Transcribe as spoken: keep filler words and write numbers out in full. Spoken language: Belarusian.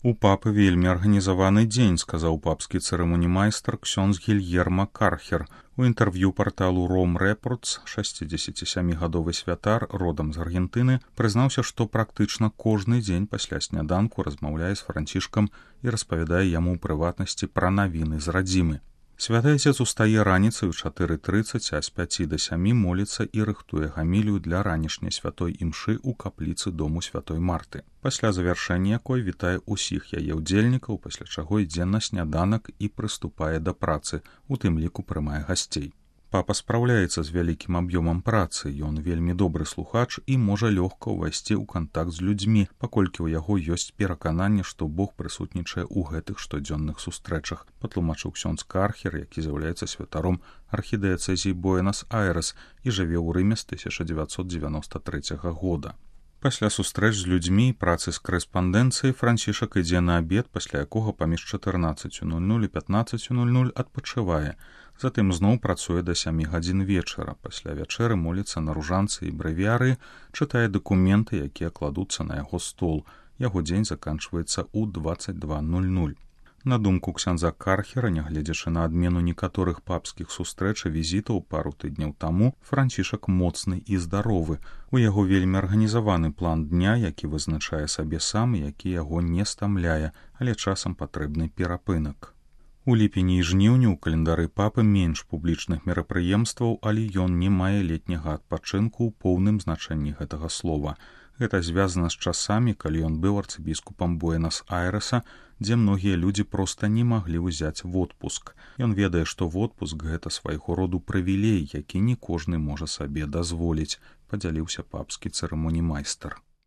У папы вельмі арганізаваны дзень, сказаў папскі цырымонімайстар ксёндз Гільерма Кархер. У інтэрв'ю парталу Rome Reports шэсцідзесяцісямігадовы святар, родам з Аргентыны, прызнаўся, што практычна кожны дзень пасля сняданку размаўляе з Францішкам і распавядае яму ў прыватнасці пра навіны з радзімы. Святы Отец устае раніцай у чатыры трыццаць, а з пяці да сямі моліцца і рыхтуе гамілію для ранішняй святой імшы ў капліцы дому святой Марты, пасля завяршэння якой вітае ўсіх яе ўдзельнікаў, пасля чаго ідзе на сняданак і прыступае да працы, у тым ліку прымае гасцей. Папа спраўляецца з вялікім аб'ёмам працы, ён вельмі добры слухач і можа лёгка ўвайсці ў кантакт з людзьмі, паколькі ў яго ёсць перакананне, што Бог прысутнічае ў гэтых штодзённых сустрэчах, патлумачыў ксёндз Кархер, які з'яўляецца святаром архідыяцэзіі Буэнас-Айрэс і жыве ў Рыме з тысяча дзевяцьсот дзевяноста трэцяга года. Пасля сустрэч з людзьмі і працы з карэспандэнцыяй Францішак ідзе на абед, пасля якога паміж чатырнаццаццю нуль нуль і пятнаццаццю нуль нуль адпачывае. Затым зноў працуе да сямі гадзін вечара. Пасля вячэры моліцца на ружанцы і брэвіяры, чытае дакументы, якія кладуцца на яго стол. Яго дзень заканчваецца ў дваццаць два нуль нуль. На думку ксяндза Кархера, нягледзячы на адмену некаторых папскіх сустрэч і візітаў пару тыдняў таму, Францішак моцны і здаровы. У яго вельмі арганізаваны план дня, які вызначае сабе сам і які яго не стамляе, але часам патрэбны перапынак. У ліпені і жніўні ў календары папы менш публічных мерапрыемстваў, але ён не мае летняга адпачынку ў поўным значэнні гэтага слова. Гэта звязана з часамі, калі ён быў арцыбіскупам Буэнас-Айрэса, дзе многія людзі проста не маглі ўзяць водпуск. Ён ведае, што водпуск гэта свайго роду прывілей, які не кожны можа сабе дазволіць, падзяліўся папскі цырымонімайстар.